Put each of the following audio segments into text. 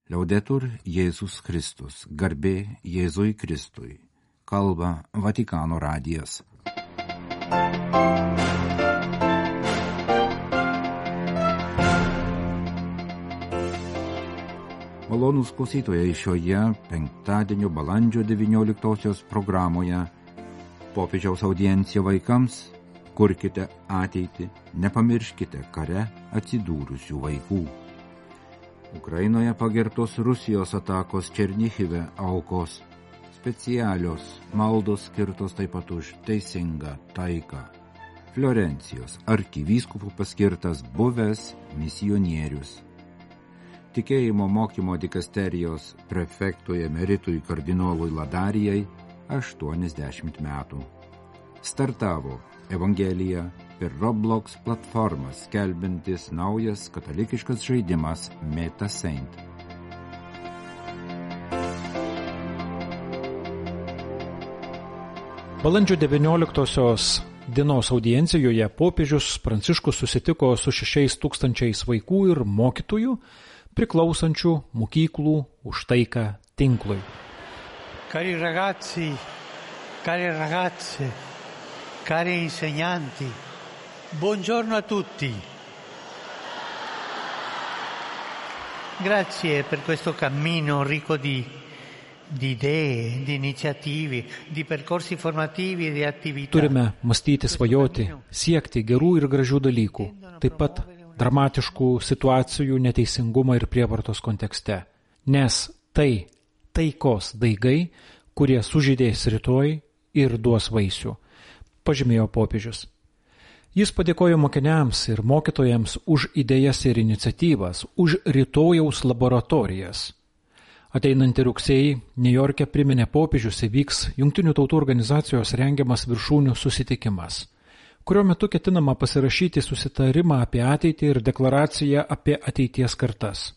Liaudetur Jėzus Kristus, garbė Jėzui Kristui, kalba Vatikano radijas. Malonūs klausytojai, šioje penktadienio balandžio 19 programoje popiežiaus audiencija vaikams kurkite ateitį, nepamirškite kare atsidūrusių vaikų. Ukrainoje pagertos Rusijos atakos Černichive aukos, specialios maldos skirtos taip pat už teisingą taiką. Florencijos arkivyskupų paskirtas buvęs misionierius. Tikėjimo mokymo dikasterijos prefektui emeritui kardinolui Ladarijai 80 metų. Startavo Evangelija per Roblox platformą skelbiantis naujas katalikiškas žaidimas MetaSaint. Balandžio 19 dienos audiencijoje popiežius Pranciškus susitiko su 6,000 vaikų ir mokytojų priklausančių mokyklų už taiką tinklui. Cari ragazzi, cari ragazze, cari insegnanti, buongiorno a tutti. Grazie per questo cammino ricco di idee, di iniziative, di percorsi formativi e di attività. Turime mąstyti, svajoti, siekti gerų ir gražių dalykų, taip pat dramatiškų situacijų neteisingumo ir prievartos kontekste, nes tai taikos daigai, kurie sužydės rytoj ir duos vaisių, pažymėjo popiežius. Jis padėkojo mokiniams ir mokytojams už idėjas ir iniciatyvas, už rytojaus laboratorijas. Ateinantį rugsėjį Niujorke priminė popiežius įvyks Jungtinių tautų organizacijos rengiamas viršūnių susitikimas, kurio metu ketinama pasirašyti susitarimą apie ateitį ir deklaraciją apie ateities kartas.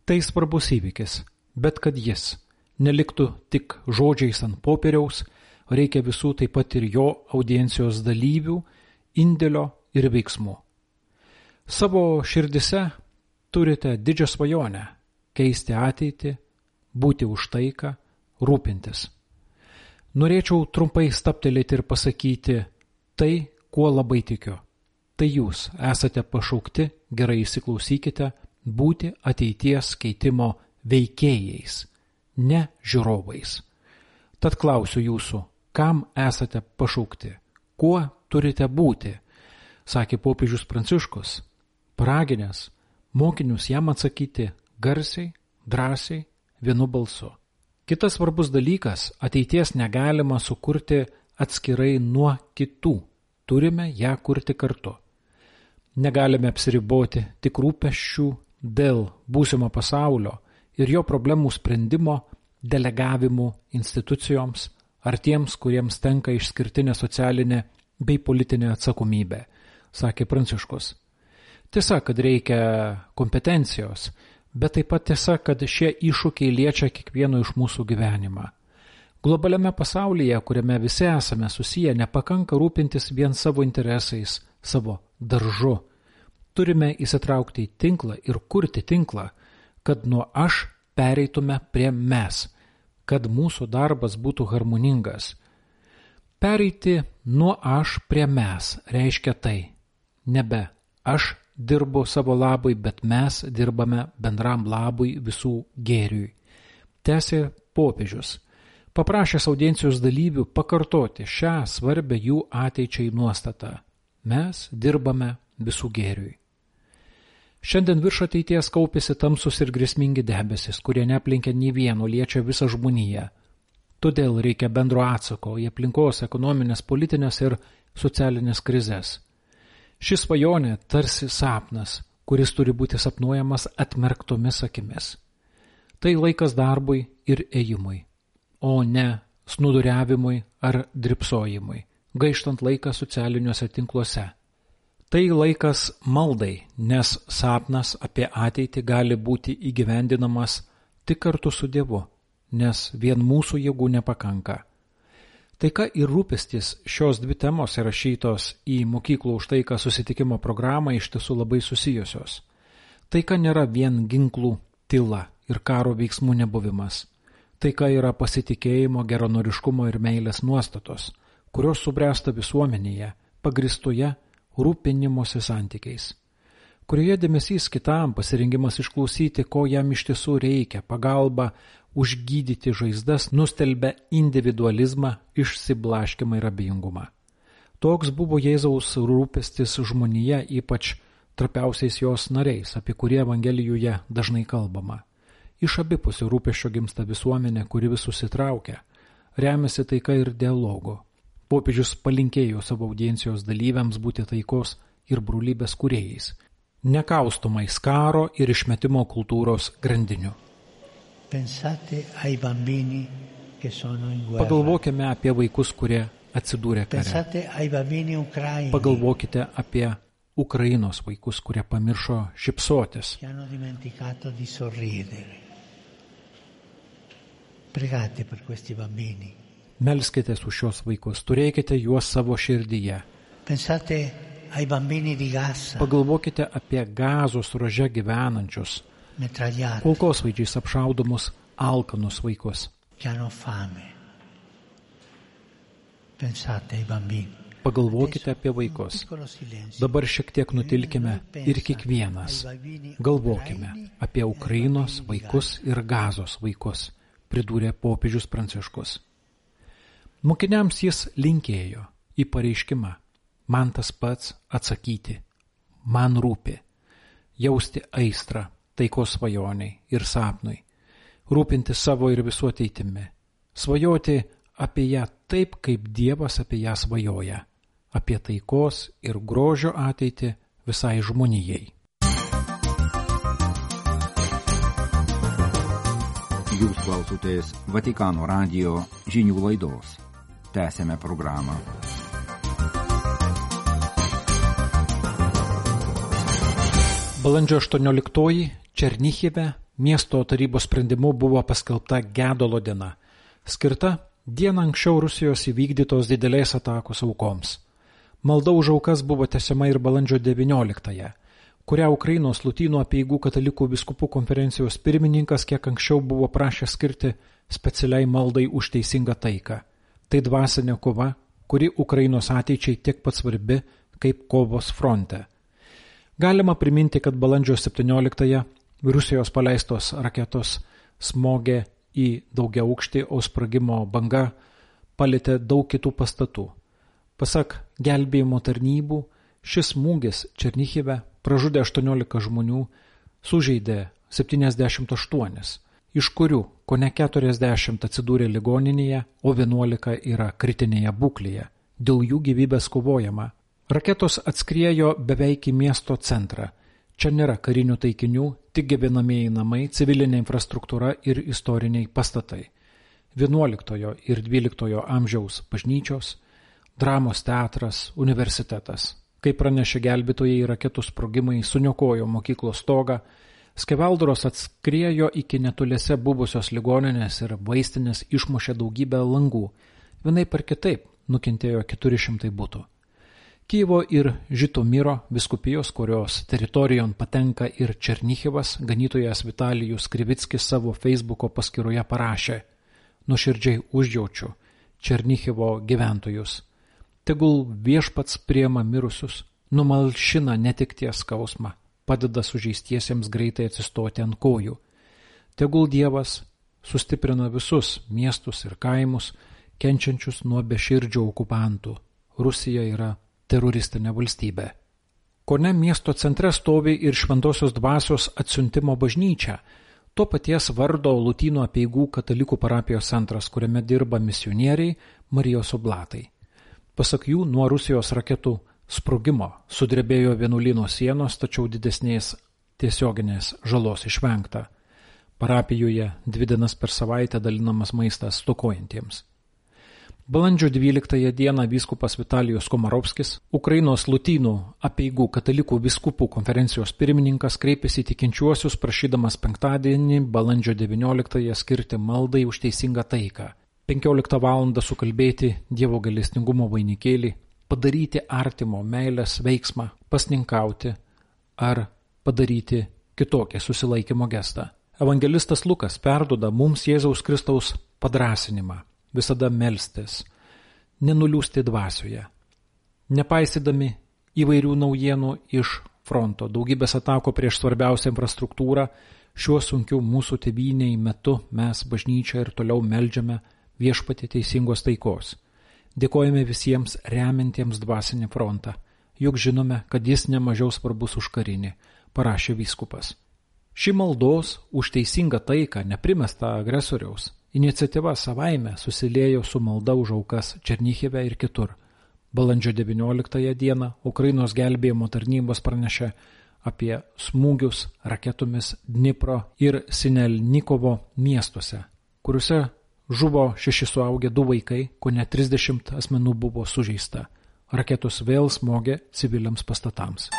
Tai svarbus įvykis, bet kad jis neliktų tik žodžiais ant popieriaus, reikia visų taip pat ir jo audiencijos dalyvių, indėlio ir veiksmų. Savo širdise turite didžią svajonę keisti ateitį, būti už taiką, rūpintis. Norėčiau trumpai stabtelėti ir pasakyti tai, kuo labai tikiu. Tai jūs esate pašaukti, gerai įsiklausykite, būti ateities keitimo veikėjais, ne žiūrovais. Tad klausiu jūsų, kam esate pašaukti, kuo turite būti, sakė popiežius Pranciškus, paraginęs mokinius jam atsakyti garsiai, drąsiai, vienu balsu. Kitas svarbus dalykas, ateities negalima sukurti atskirai nuo kitų, turime ją kurti kartu. Negalime apsiriboti tik rūpesčių dėl būsimo pasaulio ir jo problemų sprendimo delegavimu institucijoms ar tiems, kuriems tenka išskirtinė socialinė bei politinė atsakomybė, sakė Pranciškus. Tiesa, kad reikia kompetencijos, bet taip pat tiesa, kad šie iššūkiai liečia kiekvieno iš mūsų gyvenimą. Globaliame pasaulyje, kuriame visi esame susiję, nepakanka rūpintis vien savo interesais, savo daržu. Turime įsitraukti į tinklą ir kurti tinklą, kad nuo aš pereitume prie mes, kad mūsų darbas būtų harmoningas. Pereiti nuo aš prie mes reiškia tai, nebe aš dirbu savo labui, bet mes dirbame bendram labui visų gėriui. Tęsė popiežius, paprašęs audiencijos dalyvių pakartoti šią svarbę jų ateičiai nuostatą. Mes dirbame visų gėriui. Šiandien virš ateities kaupėsi tamsus ir grėsmingi debesis, kurie neaplenkia nei vieno, liečia visą žmoniją. Todėl reikia bendro atsako į aplinkos, ekonominės, politinės ir socialinės krizes. Šis svajonė tarsi sapnas, kuris turi būti sapnuojamas atmerktomis akimis. Tai laikas darbui ir ėjimui, o ne snūduriavimui ar drybsojimui, gaištant laiką socialiniuose tinkluose. Tai laikas maldai, nes sapnas apie ateitį gali būti įgyvendinamas tik kartu su Dievu, nes vien mūsų jėgų nepakanka. Taika ir rūpestis, šios dvi temos įrašytos į mokyklų už taiką susitikimo programą iš tiesų labai susijusios. Taika nėra vien ginklų tyla, ir karo veiksmų nebuvimas. Taika yra pasitikėjimo, geranoriškumo ir meilės nuostatos, kurios subręsta visuomenėje, pagristoje rūpinimosi santykiais, kurioje dėmesys kitam, pasirengimas išklausyti, ko jam iš tiesų reikia, pagalba užgydyti žaizdas, nustelbia individualizmą, išsiblaškimą ir abejingumą. Toks buvo Jėzaus rūpestis žmonija, ypač trapiausiais jos nariais, apie kurį Evangelijoje dažnai kalbama. Iš abipusių rūpesčio gimsta visuomenė, kuri vis susitraukia, remiasi taika ir dialogu. Popiežius palinkėjo savo audiencijos dalyviams būti taikos ir brolybės kūrėjais, nekaustomais karo ir išmetimo kultūros grandinių. Pagalvokime apie vaikus, kurie atsidūrė kare. Pagalvokite apie Ukrainos vaikus, kurie pamiršo šypsotis. Melskitės už šios vaikus, turėkite juos savo širdyje. Pagalvokite apie Gazos ruože gyvenančius, kulkosvaidžiais apšaudomus alkanus vaikus. Pagalvokite apie vaikus. Dabar šiek tiek nutilkime ir kiekvienas galvokime apie Ukrainos vaikus ir Gazos vaikus, pridūrė popiežius Pranciškus. Mokiniams jis linkėjo į pareiškimą: man tas pats atsakyti, man rūpi, jausti aistrą taikos svajoniai ir sapnui, rūpinti savo ir visų ateitimi, svajoti apie ją taip, kaip Dievas apie ją svajoja, apie taikos ir grožio ateitį visai žmonijai. Jūs klausotės Vatikano radijo žinių laidos. Tęsėme programą. Balandžio 18 Černichive miesto tarybos sprendimu buvo paskelbta gedulo diena, skirta dieną anksčiau Rusijos įvykdytos didelės atakos aukoms. Malda už aukas buvo tęsiama ir balandžio 19-ąją, kurią Ukrainos Lotynų apeigų katalikų vyskupų konferencijos pirmininkas kiek anksčiau buvo prašęs skirti specialiai maldai už teisingą taiką. Tai dvasinė kova, kuri Ukrainos ateičiai tiek pat svarbi kaip kovos fronte. Galima priminti, kad balandžio 17-ąją Rusijos paleistos raketos smogė į daugiaaukštį, o sprogimo banga palėtė daug kitų pastatų. Pasak gelbėjimo tarnybų, šis smūgis Černichive pražudė 18 žmonių, sužeidė 78, iš kurių kone 40 atsidūrė ligoninėje, o 11 yra kritinėje būklėje. Dėl jų gyvybės kovojama. Raketos atskriejo beveik į miesto centrą. Čia nėra karinių taikinių, tik gyvenamieji namai, civilinė infrastruktūra ir istoriniai pastatai. 11 ir 12 amžiaus bažnyčios, dramos teatras, universitetas. Kaip pranešė gelbėtojai, raketų sprogimai suniokojo mokyklos stogą, skeveldros atskriejo iki netoliese buvusios ligoninės ir vaistinės išmušė daugybę langų. Vienaip ar kitaip nukentėjo 400 butų. Kijevo ir Žitomiro vyskupijos, kurios teritorijon patenka ir Černichivas, ganytojas Vitalijus Krivickis savo Facebooko paskyroje parašė: nuoširdžiai užjaučiu Černichivo gyventojus. Tegul viešpats priema mirusius, numalšina netekties skausmą, padeda sužeistiesiems greitai atsistoti ant kojų. Tegul Dievas sustiprina visus miestus ir kaimus, kenčiančius nuo beširdžių okupantų. Rusija yra teroristinė valstybė. Kone miesto centre stovi ir Šventosios dvasios atsiuntimo bažnyčia, to paties vardo Lotynų apeigų katalikų parapijos centras, kuriame dirba misionieriai Marijos oblatai. Pasak jų, nuo Rusijos raketų sprogimo sudrebėjo vienuolyno sienos, tačiau didesnės tiesioginės žalos išvengta. Parapijoje 2 dienas per savaitę dalinamas maistas stokojantiems. Balandžio 12 dieną vyskupas Vitalijus Komarovskis, Ukrainos Lotynų apeigų katalikų vyskupų konferencijos pirmininkas, kreipėsi į tikinčiuosius prašydamas penktadienį, balandžio 19 skirti maldai už teisingą taiką. 15 valandą sukalbėti Dievo gailestingumo vainikėlį, padaryti artimo meilės veiksmą, pasninkauti ar padaryti kitokią susilaikymo gestą. Evangelistas Lukas perduoda mums Jėzaus Kristaus padrąsinimą visada melstis, nenuliūsti dvasioje, nepaisydami įvairių naujienų iš fronto, daugybės atako prieš svarbiausią infrastruktūrą. Šiuo sunkiu mūsų tėvynei metu mes bažnyčia ir toliau meldžiame Viešpatie teisingos taikos. Dėkojame visiems remiantiems dvasinį frontą, juk žinome, kad jis nemažiau svarbus už karinį, parašė vyskupas. Ši maldos už teisingą taiką neprimesta agresoriaus iniciatyva savaime susiliejo su malda už aukas Černichive ir kitur. Balandžio 19 dieną Ukrainos gelbėjimo tarnybos pranešė apie smūgius raketomis Dnipro ir Sinelnikovo miestuose, kuriuose žuvo 6 suaugę 2 vaikai, kone 30 asmenų buvo sužeista. Raketos vėl smogė civiliams pastatams.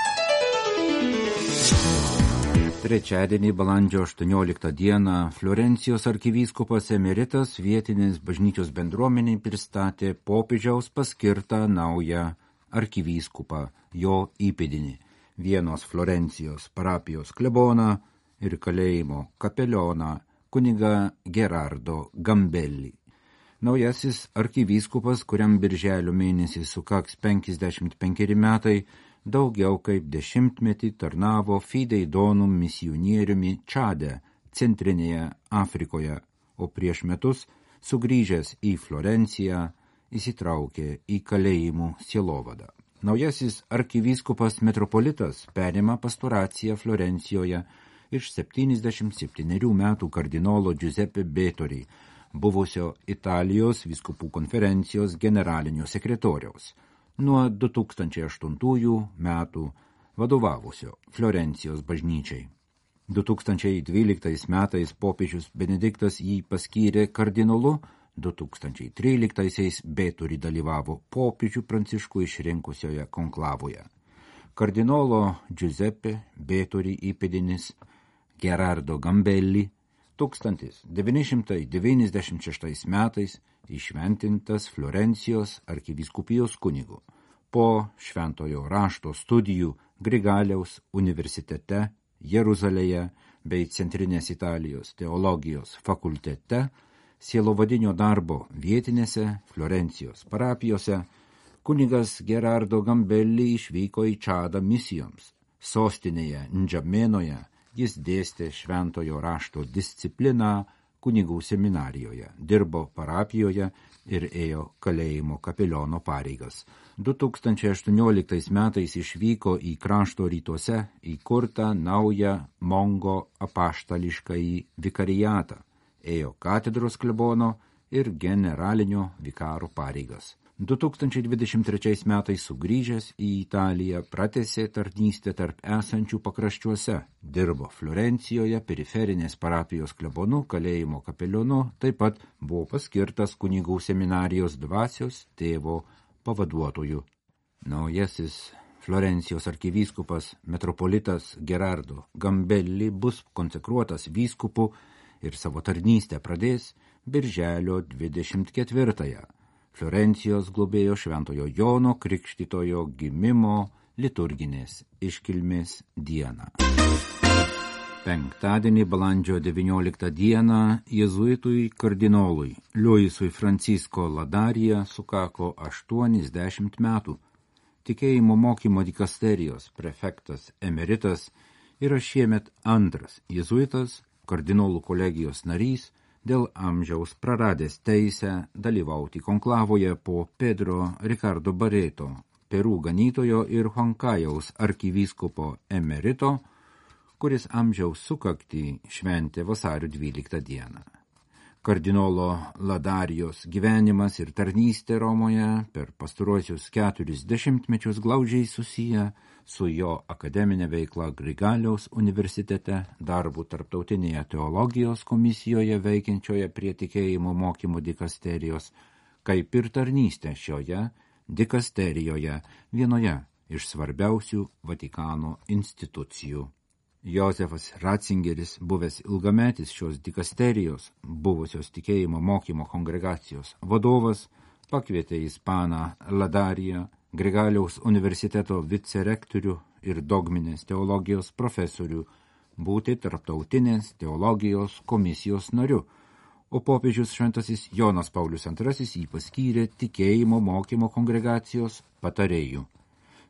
Trečiadienį balandžio 18 dieną Florencijos arkivyskupas emeritas vietinės bažnyčios bendruomeniai pristatė popiežiaus paskirtą naują arkivyskupą, jo įpėdinį, Vienos Florencijos parapijos kleboną ir kalėjimo kapelioną kunigą Gerardo Gambelli. Naujasis arkivyskupas, kuriam birželio mėnesį sukaks 55 metai, daugiau kaip 10 metį tarnavo Fidei Donum misionieriumi Čade, Centrinėje Afrikoje, o prieš metus, sugrįžęs į Florenciją, įsitraukė į kalėjimų sielovadą. Naujasis arkivyskupas metropolitas perima pastoraciją Florencijoje iš 77 metų kardinolo Giuseppe Betori, buvusio Italijos vyskupų konferencijos generalinio sekretoriaus. Nuo 2008 metų vadovavusio Florencijos bažnyčiai. 2012 metais popiežius Benediktas jį paskyrė kardinolu, 2013 Betori dalyvavo popiežių Pranciškų išrinkusioje konklavoje. Kardinolo Giuseppe Betori įpėdinis Gerardo Gambelli 1996 metais įšventintas Florencijos arkivyskupijos kunigu. Po šventojo rašto studijų Grigaliaus universitete Jeruzalėje bei Centrinės Italijos teologijos fakultete, sielovadinio darbo vietinėse Florencijos parapijose, kunigas Gerardo Gambelli išvyko į Čadą misijoms. Sostinėje Ndžamenoje jis dėstė šventojo rašto discipliną kunigų seminarijoje, dirbo parapijoje ir ėjo kalėjimo kapeliono pareigas. 2018 metais išvyko į krašto rytuose įkurtą naują Mongo apaštališkąjį vikarijatą, ėjo katedros klebono ir generalinio vikaro pareigas. 2023 metais sugrįžęs į Italiją pratęsė tarnystę tarp esančių pakraščiuose, dirbo Florencijoje periferinės parapijos klebonu, kalėjimo kapelionu, taip pat buvo paskirtas kunigų seminarijos dvasios tėvo pavaduotoju. Naujasis Florencijos arkivyskupas metropolitas Gerardo Gambelli bus konsekruotas vyskupu ir savo tarnystę pradės birželio 24-ąją. Florencijos globėjo šventojo Jono Krikštytojo gimimo liturginės iškilmės dieną. Penktadienį balandžio 19 dieną jėzuitui kardinolui Luisui Francisco Ladarija sukako 80 metų. Tikėjimo mokymo dikasterijos prefektas emeritas yra šiemet antras jėzuitas, kardinolų kolegijos narys, dėl amžiaus praradęs teisę dalyvauti konklavoje po Pedro Ricardo Barreto, Perų ganytojo ir Huancajaus arkivyskupo emerito, kuris amžiaus sukaktį šventė vasario 12 dieną. Kardinolo Ladarijos gyvenimas ir tarnystė Romoje per pastaruosius 40 metus glaudžiai susiję su jo akademinė veikla Grigaliaus universitete, darbu tarptautinėje teologijos komisijoje veikiančioje prie tikėjimo mokymo dikasterijos, kaip ir tarnystė šioje dikasterijoje, vienoje iš svarbiausių Vatikano institucijų. Josefas Ratzingeris, buvęs ilgametis šios dikasterijos, buvusios tikėjimo mokymo kongregacijos vadovas, pakvietė ispaną Ladariją, Grigaliaus universiteto vicerektorių ir dogminės teologijos profesorių, būti Tarptautinės teologijos komisijos nariu, o popiežius šventasis Jonas Paulius II jį paskyrė tikėjimo mokymo kongregacijos patarėju.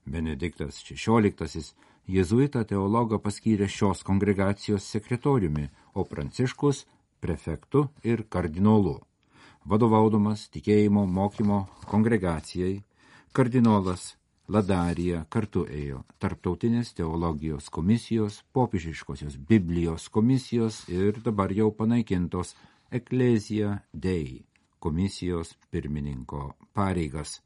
Benediktas XVI jėzuitą teologą paskyrė šios kongregacijos sekretoriumi, o Pranciškus prefektu ir kardinolu. Vadovaudamas tikėjimo mokymo kongregacijai, kardinolas Ladarija kartu ėjo Tarptautinės teologijos komisijos, popiežiškosios Biblijos komisijos ir dabar jau panaikintos Ecclesia Dei komisijos pirmininko pareigas.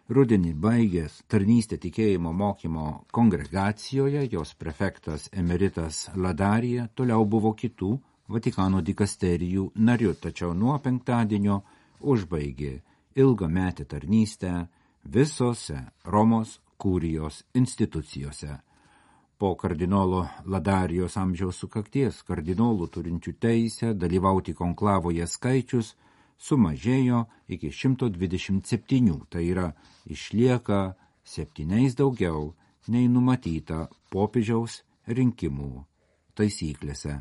Rudenį baigęs tarnystę tikėjimo mokymo kongregacijoje, jos prefektas emeritas Ladarija toliau buvo kitų Vatikano dikasterijų nariu, tačiau nuo penktadienio užbaigė ilgametę tarnystę visose Romos kurijos institucijose. Po kardinolo Ladarijos amžiaus sukakties kardinolų turinčių teisę dalyvauti konklavoje skaičius sumažėjo iki 127, tai yra išlieka 7 daugiau nei numatyta popiežiaus rinkimų taisyklėse.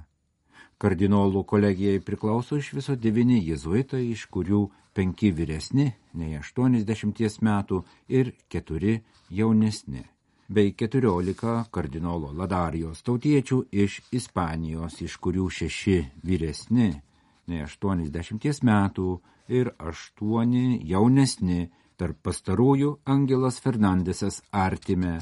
Kardinolų kolegijai priklauso iš viso 9 jėzuitai, iš kurių 5 vyresni nei 80 metų ir 4 jaunesni, bei 14 kardinolo Ladarijos tautiečių iš Ispanijos, iš kurių 6 vyresni nei 80 metų ir 8 jaunesni, tarp pastarųjų Angelas Fernandesas Artime,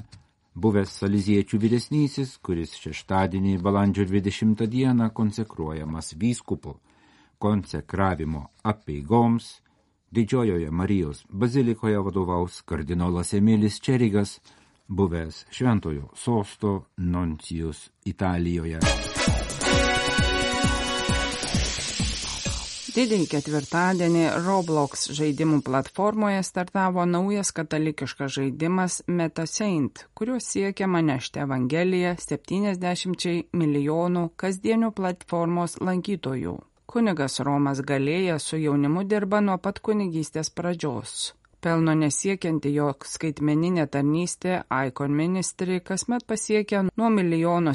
buvęs saliziečių vyresnysis, kuris šeštadienį balandžio 20 dieną konsekruojamas vyskupu. Konsekravimo apeigoms Didžiojoje Marijos bazilikoje vadovaus kardinolas Emilis Čerigas, buvęs Šventojo sosto nuncijus Italijoje. Didįjį ketvirtadienį Roblox žaidimų platformoje startavo naujas katalikiškas žaidimas MetaSaint, kuriuo siekiama nešti Evangeliją 70 milijonų kasdienių platformos lankytojų. Kunigas Romas Galėja su jaunimu dirba nuo pat kunigystės pradžios. Pelno nesiekianti jo skaitmeninė tarnystė Icon Ministry kasmet pasiekia nuo 1,7 milijono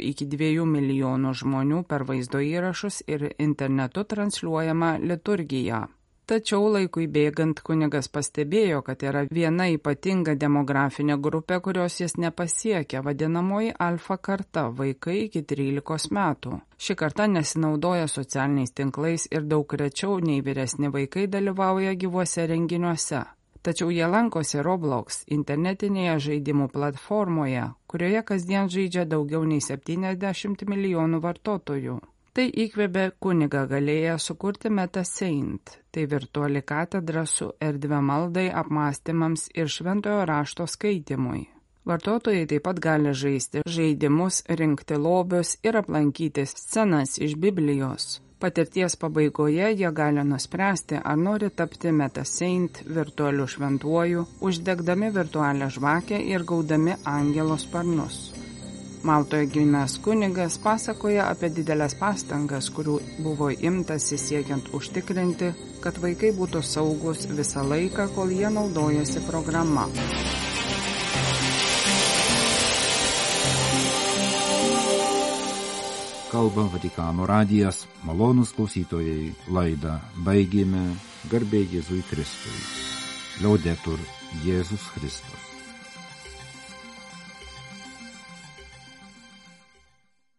iki 2 milijonų žmonių per vaizdo įrašus ir internetu transliuojama liturgija. Tačiau laikui bėgant kunigas pastebėjo, kad yra viena ypatinga demografinė grupė, kurios jis nepasiekia, vadinamoji alfa karta, vaikai iki 13 metų. Ši karta nesinaudoja socialiniais tinklais ir daug rečiau nei vyresni vaikai dalyvauja gyvuose renginiuose. Tačiau jie lankosi Roblox internetinėje žaidimų platformoje, kurioje kasdien žaidžia daugiau nei 70 milijonų vartotojų. Tai įkvėpė kunigą Galėją sukurti MetaSaint. Tai virtuali katedra su erdve maldai, apmąstymams ir šventojo rašto skaitimui. Vartotojai taip pat gali žaisti žaidimus, rinkti lobius ir aplankyti scenas iš Biblijos. Patirties pabaigoje jie gali nuspręsti, ar nori tapti MetaSaint virtualiu šventuoju, uždegdami virtualią žvakę ir gaudami angelo sparnus. Maltoje gimęs kunigas pasakoja apie didelės pastangas, kurių buvo imtasi siekiant užtikrinti, kad vaikai būtų saugus visą laiką, kol jie naudojasi programa. Kalba Vatikano radijas, malonūs klausytojai, laidą baigėme, garbė Jėzui Kristui. Laudetur Jėzus Kristus.